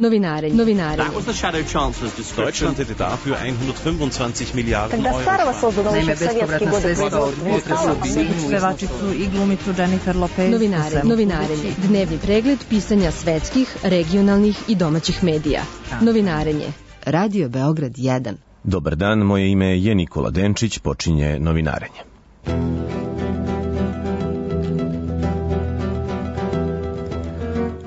Novinarenje. Deutschland hätte dafür 125 Milijarden Euro. Naime, bespovratna sredstva od pevačicu i glumicu Jennifer Lopez. Novinarenje. Dnevni pregled pisanja svetskih, regionalnih i domaćih medija. Novinarenje. Radio Beograd 1. Dobar dan, moje ime je Nikola Denčić, počinje Novinarenje.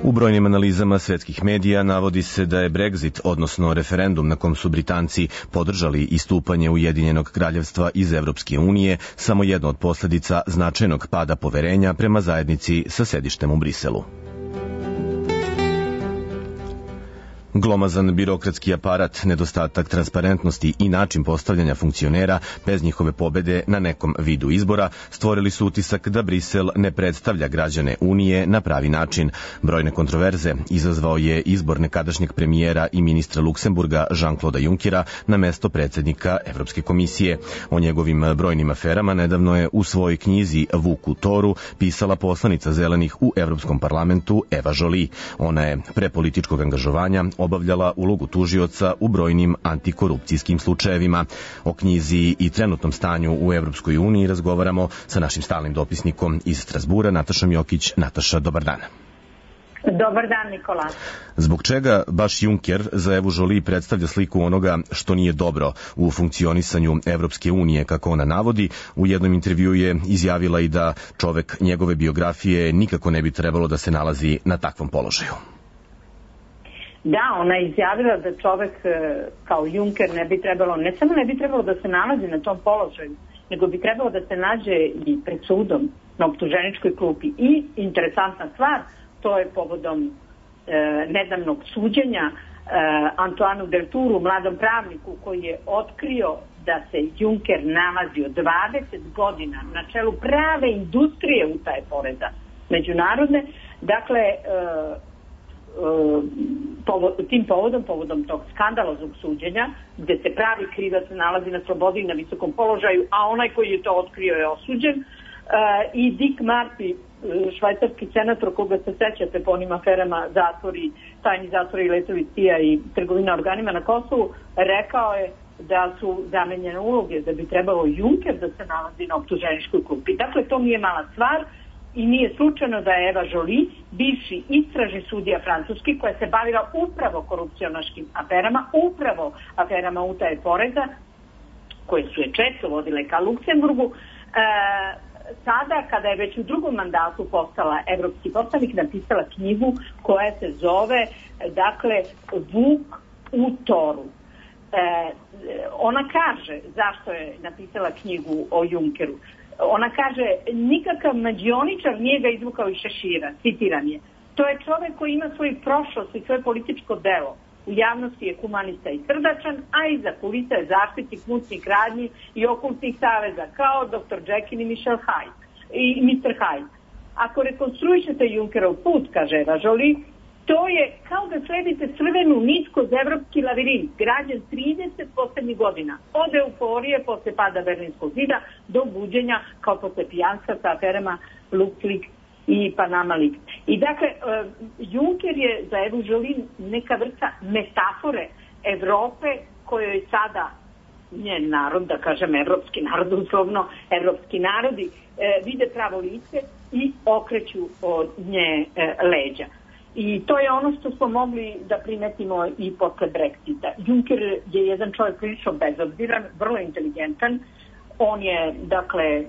U brojnim analizama svetskih medija navodi se da je Brexit, odnosno referendum na kom su Britanci podržali istupanje Ujedinjenog kraljevstva iz Evropske unije, samo jedna od posledica značajnog pada poverenja prema zajednici sa sedištem u Briselu. Glomazan birokratski aparat, nedostatak transparentnosti i način postavljanja funkcionera bez njihove pobede na nekom vidu izbora stvorili su utisak da Brisel ne predstavlja građane Unije na pravi način. Brojne kontroverze izazvao je izbor nekadašnjeg premijera i ministra Luksemburga Jean-Claude Junckera na mesto predsjednika Evropske komisije. O njegovim brojnim aferama nedavno je u svojoj knjizi Vuk u toru pisala poslanica Zelenih u Evropskom parlamentu Eva Joly. Ona je pre političkog angažovanja obavljala ulogu tužioca u brojnim antikorupcijskim slučajevima. O knjizi i trenutnom stanju u Evropskoj uniji razgovaramo sa našim stalnim dopisnikom iz Strasbura, Natašom Jokić. Nataša, dobar dan. Dobar dan, Nikola. Zbog čega baš Juncker za Evu Joly predstavlja sliku onoga što nije dobro u funkcionisanju Evropske unije, kako ona navodi? U jednom intervjuu je izjavila i da čovek njegove biografije nikako ne bi trebalo da se nalazi na takvom položaju. Da, ona je izjavila da čovek kao Juncker ne samo ne bi trebalo da se nalazi na tom položaju, nego bi trebalo da se nađe i pred sudom na optuženičkoj klupi. I interesantna stvar, to je povodom nedavnog suđenja Antoanu Deltouru, mladom pravniku koji je otkrio da se Juncker nalazio 20 godina na čelu prave industrije utaje poreza međunarodne. Dakle, tim povodom tog skandaloznog suđenja, gde se pravi krivac nalazi na slobodi i na visokom položaju, a onaj koji je to otkrio je osuđen, i Dick Marty, švajcarski senator koga se sećate po onim aferama zatvori, tajni zatvori, letovi CIA i trgovina organima na Kosovu, rekao je da su zamenjene uloge, da bi trebalo Juncker da se nalazi na optuženičkoj klupi. Dakle, to nije mala stvar. I nije slučajno da je Eva Joly, bivši istražni sudija francuski, koja se bavila upravo korupcionaškim aferama, upravo aferama utaje poreza, koje su je često vodile ka Luksemburgu, sada, kada je već u drugom mandatu postala evropski poslanik, napisala knjigu koja se zove, dakle, Vuk u toru. Ona kaže zašto je napisala knjigu o Junckeru. Ona kaže, nikakav mađioničar nije ga izvukao iz šešira, citiram je. To je čovek koji ima svoju prošlost i svoje političko delo. U javnosti je humanista i srdačan, a iza kulisa je zaštitnik mutnih radnji i okultnih saveza, kao Dr. Jekyll i Mr. Hyde. Ako rekonstruišete Junckerov put, kaže Eva Joly, to je kao da sledite crvenu nit kroz evropski lavirint, građen 30 poslednjih godina. Od euforije posle pada Berlinskog zida do buđenja kao posle pijanstva sa aferama LuxLeaks i Panama Leaks. I dakle, Juncker je za Evu Joly neka vrsta metafore Evrope kojoj sada njen narod, da kažem evropski narod, uslovno evropski narodi, vide pravo lice i okreću od nje leđa. I to je ono što smo mogli da primetimo i posle Brexita. Juncker je jedan čovjek prilično bezobziran, vrlo inteligentan. On je, dakle,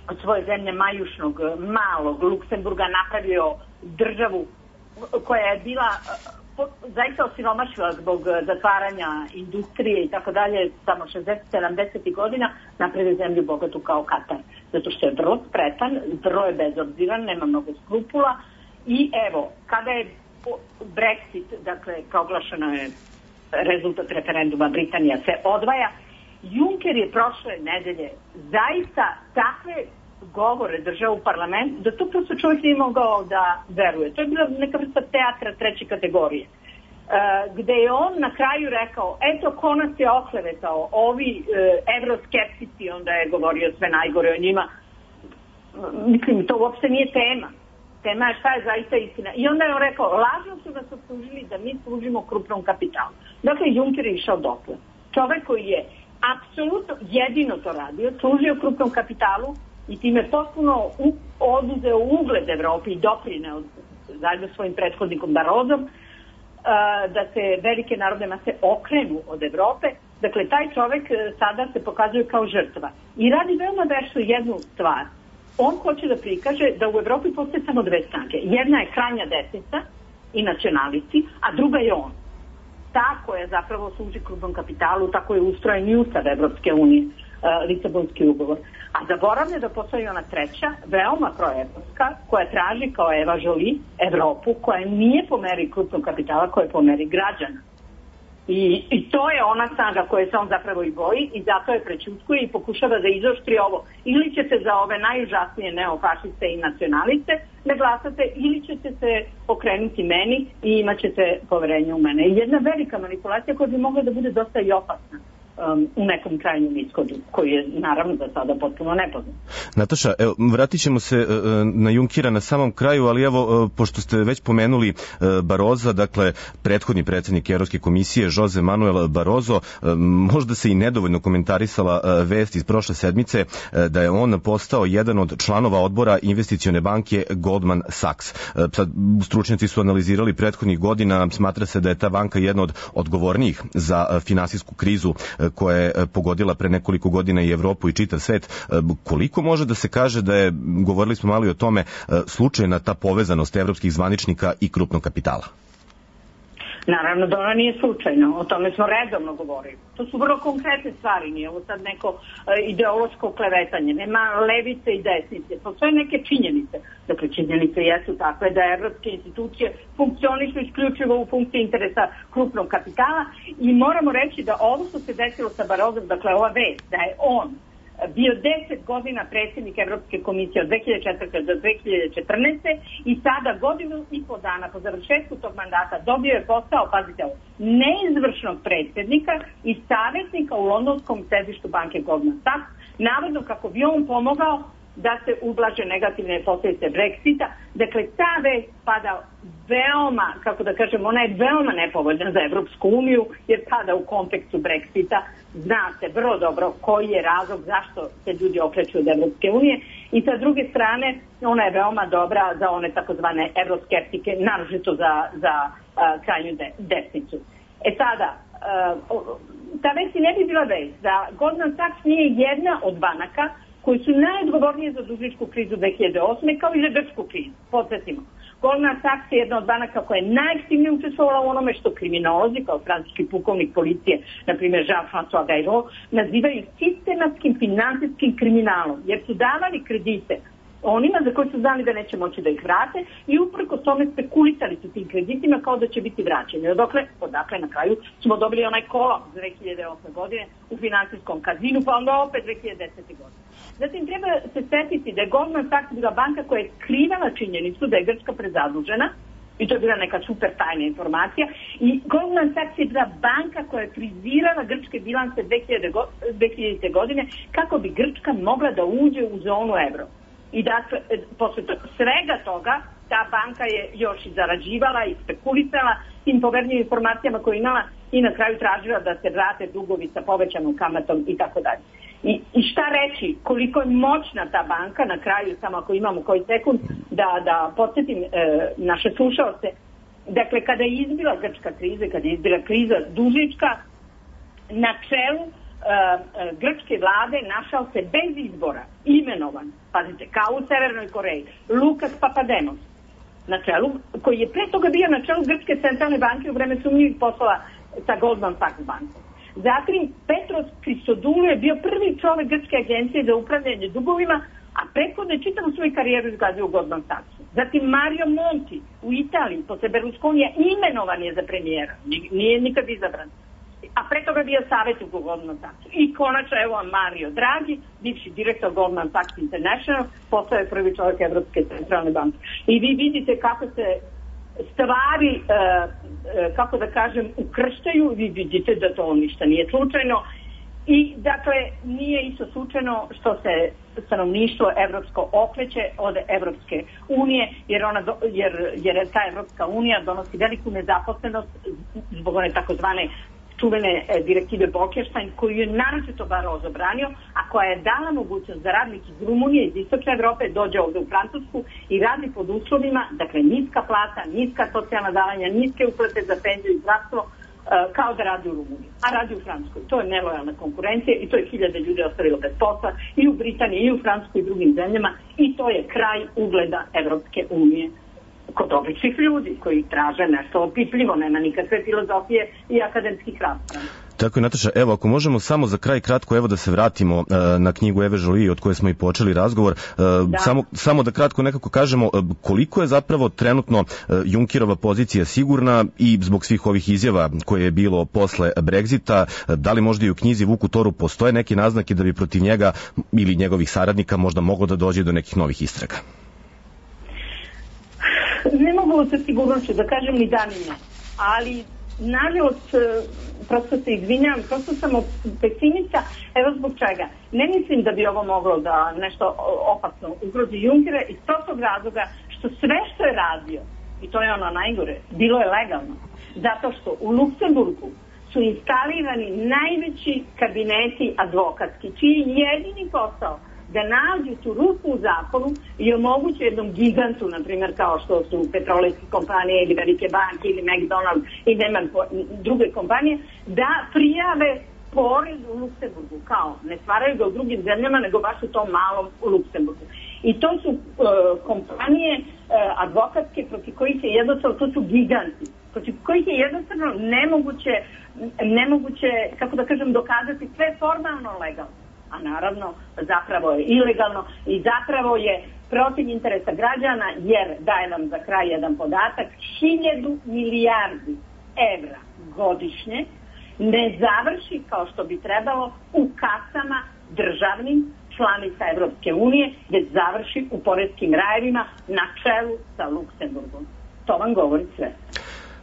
od svoje zemlje majušnog, malog Luksemburga napravio državu koja je bila zaista osiromašila zbog zatvaranja industrije i tako dalje, samo 60-70 godina, napravio zemlju bogatu kao Katar. Zato što je vrlo spretan, vrlo je bezobziran, nema mnogo skrupula. I evo, kada je Brexit, dakle, proglašeno je rezultat referenduma, Britanija se odvaja, Juncker je prošle nedelje zaista takve govore držao u parlamentu, da to prosto čovjek nije mogao da veruje. To je bila neka vrsta teatra treće kategorije, gde je on na kraju rekao, eto ko nas je oklevetao, ovi evroskeptici, onda je govorio sve najgore o njima. Mislim, to uopšte nije tema. Tema je šta je zaista istina. I onda je on rekao, lažno su nas optužili da mi služimo krupnom kapitalu. Dakle, Juncker je išao dotle. Čovek koji je apsolutno jedino to radio, služio krupnom kapitalu i time potpuno oduzeo ugled Evropi i doprineo zajedno svojim prethodnikom Barozom da se velike narodne mase okrenu od Evrope. Dakle, taj čovek sada se pokazuje kao žrtva. I radi veoma vešto jednu stvar. On hoće da prikaže da u Evropi postoje samo dve snage. Jedna je krajnja desnica i nacionalisti, a druga je on. Ta koja zapravo služi krupnom kapitalu, tako je ustrojen i Ustav Evropske unije, Lisabonski ugovor. A zaboravlja da postoji ona treća, veoma proevropska, koja traži kao Eva Joly Evropu, koja nije po meri krupnog kapitala, koja je po meri građana. I to je ona snaga koje se on zapravo i boji i zato je prećutkuje i pokušava da izoštri ovo. Ili ćete za ove najužasnije neofašiste i nacionaliste ne glasate, ili ćete se okrenuti meni i imat ćete poverenje u mene. I jedna velika manipulacija koja bi mogla da bude dosta i opasna u nekom krajnjem ishodu, koji je naravno za sada potpuno nepoznat. Nataša, evo, vratit ćemo se na Junckera na samom kraju, ali evo, pošto ste već pomenuli Baroza, dakle, prethodni predsjednik Evropske komisije, Jose Manuel Barroso, možda se i nedovoljno komentarisala vest iz prošle sedmice da je on postao jedan od članova odbora investicione banke Goldman Sachs. Sad, stručnjaci su analizirali prethodnih godina, smatra se da je ta banka jedna od odgovornijih za finansijsku krizu koja je pogodila pre nekoliko godina i Evropu i čitav svet. Koliko može da se kaže da je, govorili smo malo i o tome, slučajna ta povezanost evropskih zvaničnika i krupnog kapitala? Naravno da ona nije slučajna, o tome smo redovno govorili. To su vrlo konkretne stvari, nije ovo sad neko ideološko klevetanje, nema levice i desnice, postoje neke činjenice. Dakle, činjenice jesu takve da evropske institucije funkcionišu isključivo u funkciji interesa krupnog kapitala i moramo reći da ovo što se desilo sa Barozom, dakle ova vest, da je on bio 10 godina predsjednik Evropske komisije od 2004. do 2014. i sada godinu i po dana po završetku tog mandata dobio je posao, pazite ovo, neizvršnog predsjednika i savjetnika u londonskom sedištu banke Goldman Sachs, navodno kako bi on pomogao da se ublaže negativne posljedice Brexita. Dakle, ta vest pada veoma, kako da kažem, ona je veoma nepovoljna za Evropsku uniju, jer pada u kontekstu Brexita. Zna se vrlo dobro koji je razlog zašto se ljudi okreću od Evropske unije i sa druge strane ona je veoma dobra za one takozvane evroskeptike, naročito za krajnju desnicu. Sada, ta vest ne bi bila vest da Goldman Sachs nije jedna od banaka koji su najodgovornije za dužničku krizu 2008. kao i za grčku krizu. Podsjetimo, Goldman Sachs je jedna od banaka koja je najaktivnije učestvovala u onome što kriminolozi, kao francuski pukovnik policije, na primjer Jean-François Bayrou, nazivaju sistematskim finansijskim kriminalom, jer su davali kredite onima za koje su znali da neće moći da ih vrate i uprkos tome spekulisali su tim kreditima kao da će biti vraćeni. Odakle na kraju smo dobili onaj kolaps 2008. godine u finansijskom kazinu, pa onda opet 2010. godine. Zatim treba se setiti da je Goldman Sachs bila banka koja je skrivala činjenicu da je Grčka prezadužena i to je bila neka super tajna informacija i Goldman Sachs je bila banka koja je frizirala grčke bilance 2000. godine kako bi Grčka mogla da uđe u zonu evro. I dakle, posle svega toga, ta banka je još i zarađivala i spekulisala tim povernjim informacijama koje imala i na kraju tražila da se vrate dugovi sa povećanom kamatom i tako dalje. I šta reći, koliko je moćna ta banka, na kraju, samo ako imamo koji sekund, da podsjetim naše slušaoce. Dakle, kada je izbila grčka kriza, kada je izbila kriza dužnička, na čelu grčke vlade našao se bez izbora imenovan, pazite, kao u Severnoj Koreji, Lukas Papademos, na čelu, koji je pre toga bio na čelu Grčke centralne banke u vreme sumnjivih poslova sa Goldman Sachs bankom. Zatim, Petros Christodoulou je bio prvi čovjek Grčke agencije za upravljanje dugovima, a prethodno je čitavu svoju karijeru izgazio u Goldman Sachsu. Zatim, Mario Monti u Italiji, posle Berlusconija, imenovan je za premijera, nije nikad izabran. A pre toga je bio savjetnik u Goldman Sachsu. I konačno, evo Mario Draghi, bivši direktor Goldman Sachs International, postao je prvi čovjek Evropske centralne banke. I vi vidite kako se stvari, kako da kažem, ukrštaju, vi vidite da to ništa nije slučajno I, dakle, nije isto slučajno što se stanovništvo evropsko okreće od Evropske unije, jer ta Evropska unija donosi veliku nezaposlenost zbog one takozvane čuvene direktive Bolkestein, koju je naročito Barroso branio, a koja je dala mogućnost da radnik iz Rumunije, iz Istočne Evrope dođe ovde u Francusku i radi pod uslovima, dakle, niska plata, niska socijalna davanja, niske uplate za penziju i zdravstvo, kao da radi u Rumuniji, a radi u Francuskoj. To je nelojalna konkurencija i to je hiljade ljudi ostavilo bez posla i u Britaniji, i u Francuskoj i drugim zemljama, i to je kraj ugleda Evropske unije kod običnih ljudi koji traže nešto opipljivo, nema nikakve filozofije i akademskih rasprava. Tako je, Nataša. Evo, ako možemo samo za kraj kratko, evo da se vratimo na knjigu Eve Joly od koje smo i počeli razgovor. Samo da kratko nekako kažemo koliko je zapravo trenutno Junckerova pozicija sigurna i zbog svih ovih izjava koje je bilo posle Brexita, da li možda i u knjizi Vuku Toru postoje neke naznake da bi protiv njega ili njegovih saradnika možda moglo da dođe do nekih novih istraga? Ne mogu sa sigurnošću da kažem ni da ni ne, ali nažalost, prosto se izvinjam, prosto sam pesimista, evo zbog čega. Ne mislim da bi ovo moglo da nešto opasno ugrozi Junckera iz prostog razloga što sve što je radio, i to je ono najgore, bilo je legalno. Zato što u Luksemburgu su instalirani najveći kabineti advokatski, čiji je jedini posao da nađu tu rupu u zakonu i omoguće jednom gigantu, na primjer kao što su petrolejske kompanije ili velike banke ili McDonald's i nema druge kompanije, da prijave porez u Luksemburgu, kao ne stvaraju ga u drugim zemljama nego baš u tom malom u Luksemburgu. I to su kompanije advokatske protiv kojih je jednostavno, to su giganti, protiv kojih je jednostavno nemoguće, kako da kažem, dokazati sve formalno legalno. A naravno zapravo je ilegalno i zapravo je protiv interesa građana, jer daje vam za kraj jedan podatak, 1000 milijardi evra godišnje ne završi kao što bi trebalo u kasama državnim članica Evropske unije, već završi u poreskim rajevima na čelu sa Luksemburgom. To vam govori sve.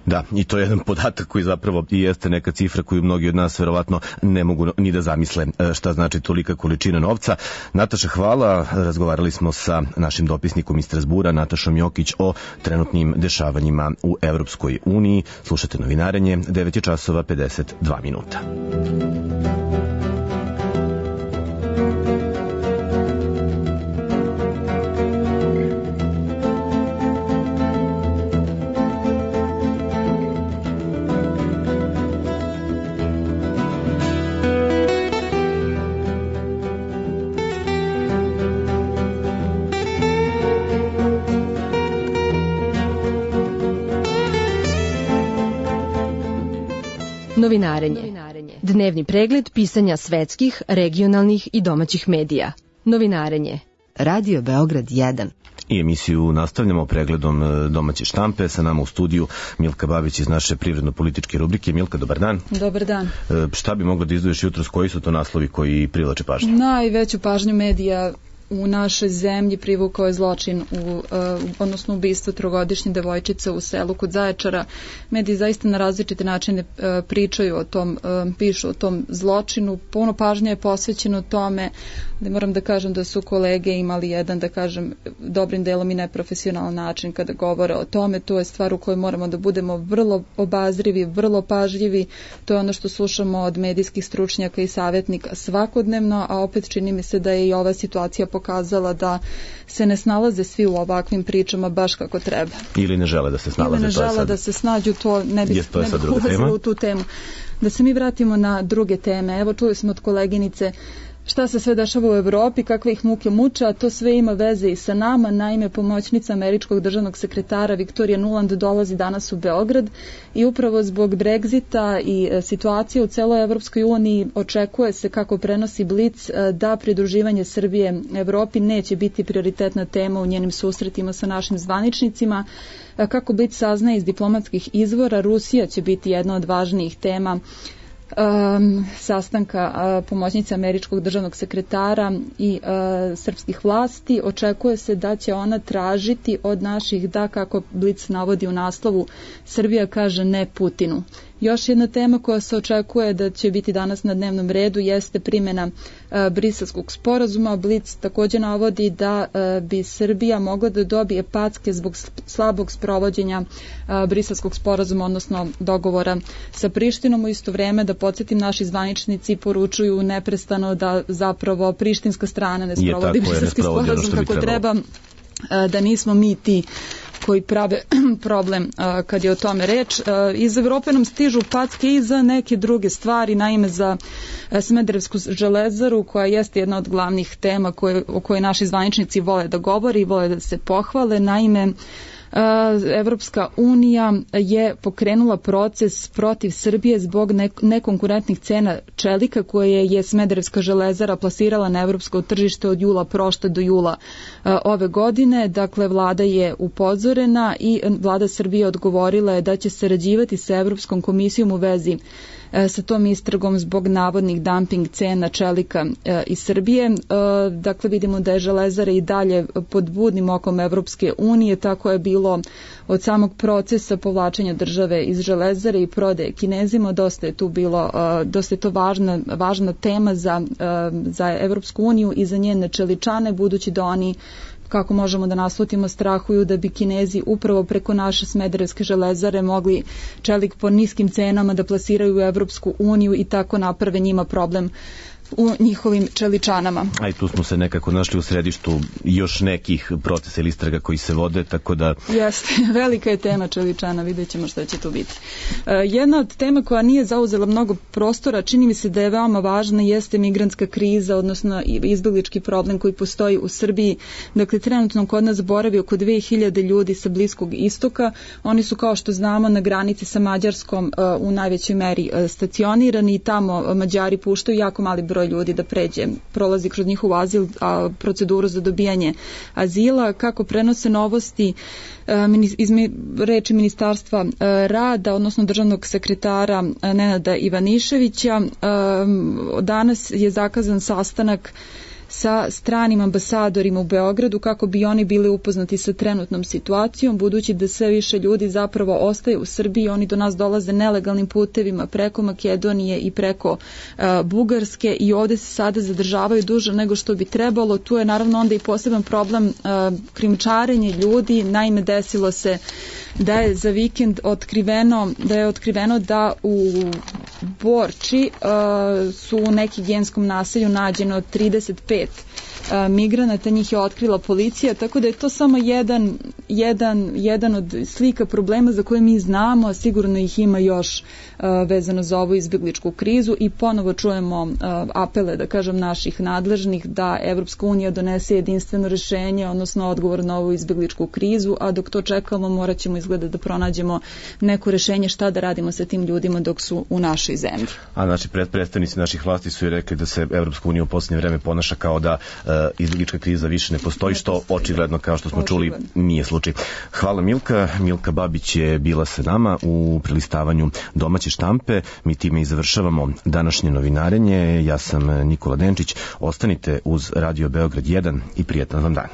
Da, i to je jedan podatak koji zapravo i jeste neka cifra koju mnogi od nas verovatno ne mogu ni da zamisle šta znači tolika količina novca. Nataša, hvala. Razgovarali smo sa našim dopisnikom iz Strazbura, Natašom Jokić, o trenutnim dešavanjima u Evropskoj uniji. Slušate Novinarenje, 9:52. Novinarenje. Dnevni pregled pisanja svetskih, regionalnih i domaćih medija. Novinarenje. Radio Beograd 1. I emisiju nastavljamo pregledom domaće štampe. Sa nama u studiju Milka Babić iz naše privredno-političke rubrike. Milka, dobar dan. Dobar dan. Šta bi mogla da izdvoješ jutros, koji su to naslovi koji privlače pažnju? Najveću pažnju medija u našoj zemlji privukao je zločin, odnosno ubistvo trogodišnje devojčice u selu kod Zaječara. Mediji zaista na različite načine pričaju o tom, pišu o tom zločinu. Puno pažnje je posvećeno tome, da moram da kažem da su kolege imali jedan, da kažem, dobrim delom i neprofesionalan način kada govore o tome. To je stvar u kojoj moramo da budemo vrlo obazrivi, vrlo pažljivi. To je ono što slušamo od medijskih stručnjaka i savjetnika svakodnevno, a opet čini mi se da je i ova situacija pokazala da se ne snalaze svi u ovakvim pričama baš kako treba. Ili ne žele da se snalaze. Ili ne žele da se snađu, to ne bi ulazilo u tu temu. Da se mi vratimo na druge teme. Evo, čuli smo od koleginice šta se sve dešava u Evropi, kakve ih muke muče, a to sve ima veze i sa nama. Naime, pomoćnica američkog državnog sekretara Viktorija Nuland dolazi danas u Beograd i upravo zbog Brexita i situacije u celoj Evropskoj uniji očekuje se, kako prenosi Blic, da pridruživanje Srbije Evropi neće biti prioritetna tema u njenim susretima sa našim zvaničnicima. Kako Blic saznaje iz diplomatskih izvora, Rusija će biti jedna od važnijih tema sastanka pomoćnice američkog državnog sekretara i srpskih vlasti. Očekuje se da će ona tražiti od naših da, kako Blic navodi u naslovu, Srbija kaže ne Putinu. Još jedna tema koja se očekuje da će biti danas na dnevnom redu jeste primjena Briselskog sporazuma. Blic također navodi da bi Srbija mogla da dobije packe zbog slabog sprovođenja Briselskog sporazuma, odnosno dogovora sa Prištinom. U isto vreme, da podsjetim, naši zvaničnici poručuju neprestano da zapravo prištinska strana ne sprovodi Briselski sporazum kako treba, da nismo mi ti koji prave problem kad je o tome reč. Iz Evrope nam stižu packe i za neke druge stvari, naime za Smederevsku železaru, koja jeste jedna od glavnih tema o kojoj naši zvaničnici vole da govori i vole da se pohvale. Naime, Evropska unija je pokrenula proces protiv Srbije zbog nekonkurentnih cena čelika koje je Smederevska železara plasirala na evropsko tržište od jula prošle do jula ove godine. Dakle, vlada je upozorena i vlada Srbije odgovorila je da će sarađivati sa Evropskom komisijom u vezi sa tom istragom zbog navodnih dumping cena čelika iz Srbije. Dakle, vidimo da je železara i dalje pod budnim okom Evropske unije, tako je bilo od samog procesa povlačenja države iz železare i prodaje Kinezima. Dosta je to važna tema za Evropsku uniju i za njene čeličane, budući da oni, kako možemo da naslutimo, strahuju da bi Kinezi upravo preko naše Smederevske železare mogli čelik po niskim cenama da plasiraju u Evropsku uniju i tako naprave njima problem u njihovim čeličanama. A i tu smo se nekako našli u središtu još nekih procesa ili istraga koji se vode, tako da... Jeste, velika je tema čeličana, vidjet ćemo šta će tu biti. Jedna od tema koja nije zauzela mnogo prostora, čini mi se da je veoma važna, jeste migrantska kriza, odnosno izbeglički problem koji postoji u Srbiji. Dakle, trenutno kod nas boravi oko 2000 ljudi sa Bliskog istoka. Oni su, kao što znamo, na granici sa Mađarskom u najvećoj meri stacionirani i tamo Mađari puštaju jako mali broj ljudi da prolazi kroz njihov azil, proceduru za dobijanje azila. Kako prenose novosti iz reči Ministarstva rada, odnosno državnog sekretara Nenada Ivaniševića, danas je zakazan sastanak sa stranim ambasadorima u Beogradu kako bi oni bili upoznati sa trenutnom situacijom, budući da sve više ljudi zapravo ostaje u Srbiji. Oni do nas dolaze nelegalnim putevima preko Makedonije i preko Bugarske i ovdje se sada zadržavaju duže nego što bi trebalo. Tu je naravno onda i poseban problem krijumčarenje ljudi. Naime, desilo se da je za vikend otkriveno da u Borči su u nekim genskom naselju nađeno 35 migranata, njih je otkrila policija, tako da je to samo jedan od slika problema za koje mi znamo, a sigurno ih ima još vezano za ovu izbjegličku krizu i ponovo čujemo apele, da kažem, naših nadležnih da Evropska unija donese jedinstveno rješenje, odnosno odgovor na ovu izbjegličku krizu, a dok to čekamo morat ćemo izgleda da pronađemo neko rješenje šta da radimo sa tim ljudima dok su u našoj zemlji. A naši predstavnici naših vlasti su i rekli da se Evropska unija u posljednje vreme ponaša kao da izbjeglička kriza više ne postoji, što očigledno, kao što smo čuli, nije slučaj. Hvala Milka. Milka Babić je bila sa nama u prelistavanju domaće štampe. Mi time i završavamo današnje novinarenje. Ja sam Nikola Denčić. Ostanite uz Radio Beograd 1 i prijetan vam dan.